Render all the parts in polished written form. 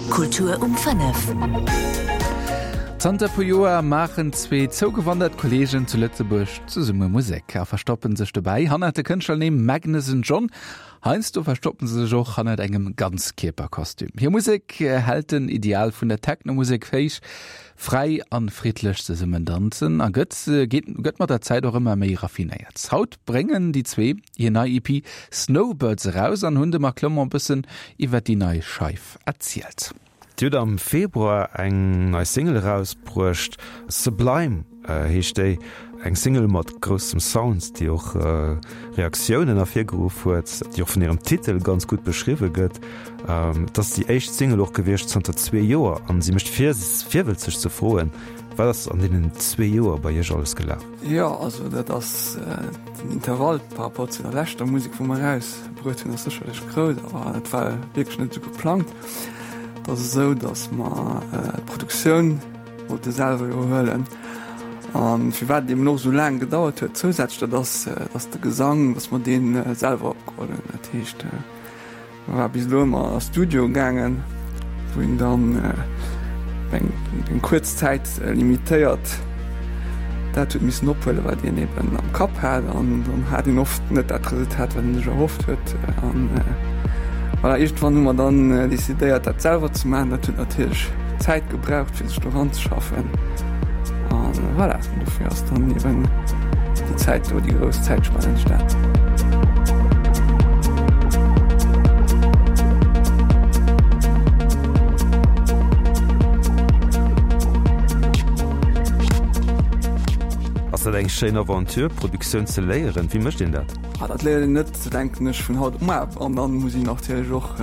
Kultur um 5. Zanter puer Joer maachen zwee zougewandert Kolleegen zu Lëtzebuerg zesumme Musek a verstoppen sech dobäi hannert de Kënschtlernimm Magnus and John. Heiansdo verstoppen se sech och hannert engem Ganzkierperkostüm. Hir Musek hält den Ideal vun der Techno-Musek héich, fräi an friddlech zesummen danzen a gëtt geet gëtt mat der Zäit och ëmmer méi raffinéiert. Haut bréngen déi zwee hir nei EP Snowbirds eraus an hunn de Marc Clement bëssen iwwer déi nei Scheif erzielt. Dir hutt am Februar eng nei Single erausbruecht, Sublime heescht déi. Eng Single mat groussem Sound, déi och Reaktiounen ervirgeruff huet, déi och vun hirem Titel ganz gutt beschriwwe gëtt. Et ass déi éischt Single och gewiescht zanter zwee Joer an si mécht virwëlzeg ze froen, Wat ass an deenen zwee Joer bei iech alles gelaf? Jo, also dat ass den Intervall par rapport zu der leschter Musek, wou mer erausbruet hunn, ass sécherlech grouss, awer dat war wierklech net esou geplangt. Et ass esou, datt mer d'Produktioun wollte selwer iwwerhuelen. A firwat et eben och esou laang gedauert huet zousätzlech, dat ass, datt de Gesang, datt mer dee selwer opgeholl hunn. Dat heescht, mer war bis elo ëmmer a Studio gaangen, wou een dann eng eng kuerz Zäit limitéiert dat huet missen ophuelen, wat een eben am Kapp hat. An dann hat een oft net dat Resultat, wat een sech erhofft huet. An voilà, iergendwann hu mer dann decidéiert, dat selwer ze maachen. Dat huet natierlech Zäit gebraucht, fir sech do eranzeschaffen. An voilà, dofir ass dann eben déi Zäit do, déi grouss Zäitspann entstan. Ass dat eng schéin Aventure, Produktioun ze léieren? Wéi mécht een dat? Ah, dat léiert een net, denken ech, vun haut op muar. An dann muss een natierlech och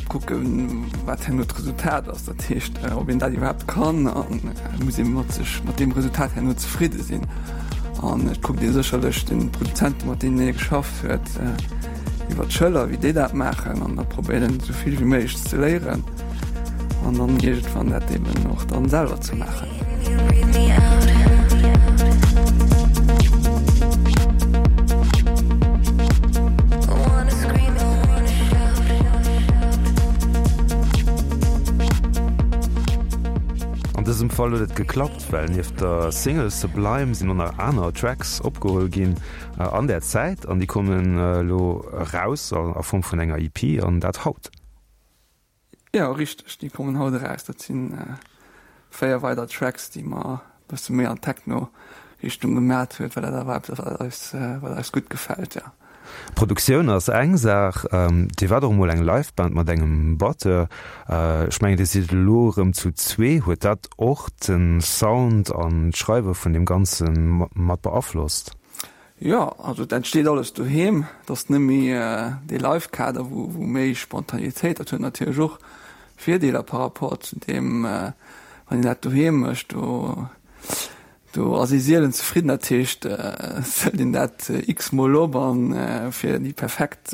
kucken, wat herno d'Resultat ass. Dat heescht, ob een dat iwwerhaapt kann an muss ee mat sech mat deem Resultat herno zefridde sinn. An et kuckt ee sécherlech de Produzenten, mat deenen ee geschafft huet, iwwer d'Schëller, wéi déi dat maachen an da probéiert een esou vill wéi méiglech ze léieren an dann iergendwann dat eben och dann selwer ze maachen. An dësem Fall huet et geklappt, well nieft der Single Sublime sinn och nach aner Tracks opgeholl ginn an där Zäit an déi kommen elo eraus a Form vun enger EP an dat haut. Jo, richteg, déi kommen haut eraus. Dat si 4 weider Tracks, déi mer e bësse méi an d'Techno-Richtung gemat huet, well dat awer eppes ass, wat eis, wat eis gutt gefält, jo. Produktioun ass eng Saach. Dir waart och emol eng Live-Band mat engem Batteur. Ech mengen, Dir sidd elo erëm zu zwee. Huet dat och de Sound an d'Schreiwe vun deem Ganze mat beaflosst? Jo, also et entsteet alles doheem. Et ass net méi dee Live-Kader, wou wou méi Spontanitéit, dat huet natierlech och Virdeeler par rapport zu deem, wann een dat doheem mécht. Do do ass ee sielen zefridden. Dat heescht, et hëlt een dat x-mol op an fir déi perfekt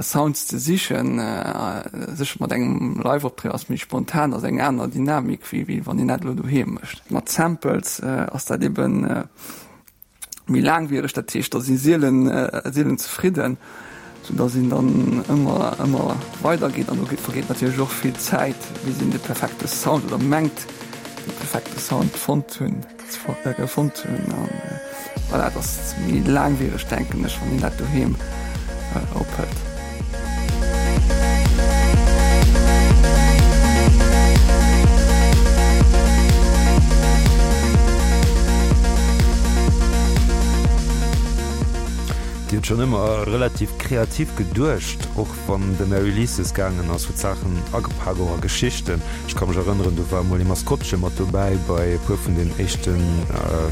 Sounds ze sichen. Sécher mat engem Live-Optritt ass méi spontan, ass eng aner Dynamik wéi wéi wann een dat elo doheem mécht. Mat Samples ass dat eben méi laangwiereg, dat heescht da si sielen sielen zefridden, sou datt een dann ëmmer ëmmer weider geet an do vergeet natierlech och vill Zäit bis een de perfekte Sound oder mengt de perfekte Sound fonnt hunn. Fonnt hunn an voilà, et ass méi laangwiereg denken ech, wann een dat doheem ophëlt. Dir hutt schonn ëmmer relativ kreativ geduecht, och wann de Mary Lises gaangen ass, huet Saachen agepak, och a Geschichten. Ech ka mech erënneren, do war emol ee Maskottche mat dobäi bei e puer vun den éischten,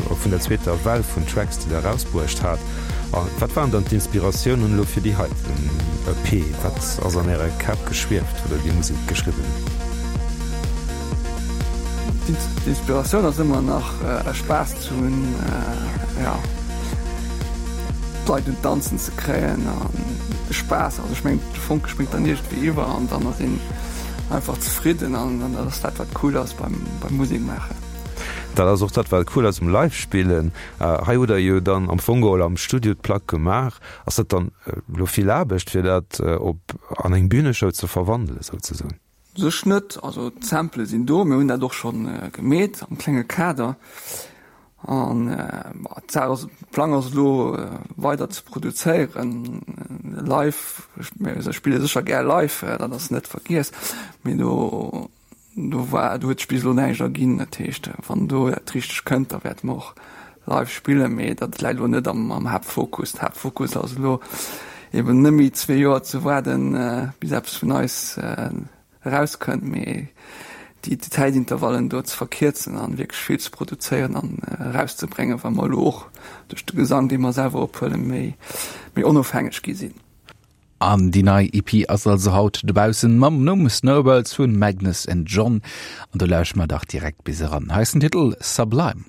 vun der zweeter Well vun Tracks, déi der erausbruecht hat. A wat waren dann d'Inspiratiounen elo fir déi heiten EP? Wat ass an Äre Käpp geschwieft, wou der déi Musek geschriwwen hutt? D'Inspiratioun ass ëmmer nach Spaass ze hunn, jo, d'Leit un d'Danzen ze kréien an de Spaass. Also ech mengen, de Fonke spréngt dann iergendwéi iwwer an dann ass een einfach zefridden an dat ass dat, wat cool ass beim Musek maachen. Dat ass och dat, wat cool ass um Live-Spillen. Hei hutt Der jo dann am Fong geholl am Studio d'Plack gemaach. Ass dat dann elo vill Aarbecht, fir dat op an eng Büneshow ze verwandelen, souzesoen? Sech net. Also d'Sample sinn do, mir hunn dat och scho gemeet am klenge Kader. An d'Saach ass, de Plang ass elo weider ze produzéieren live. Mir spille sécher gär live, dat ass net vergiess, mee do do war do huet sech bis elo näischt erginn. Dat heescht, wann do dat Richtegt kënnt, da wäerte mer och live spillen, mee dat läit elo net am am Haaptfokus. Den Haaptfokus ass elo eben net méi zwee Joer ze waarden, bis eppes vun eis erauskënnt, mee déi Zäitintervallen do ze verkierzen an wierklech vill ze produzéieren an erauszebréngen, well mer elo och duerch de Gesang, dee mer selwer ophuelen, méi méi onofhängeg gi sinn. An déi nei EP ass also haut dobaussen mam Numm Snowbirds vun Magnus and John. An do lauschteren mer dach direkt bis eran. Hei ass den Titel Sublime.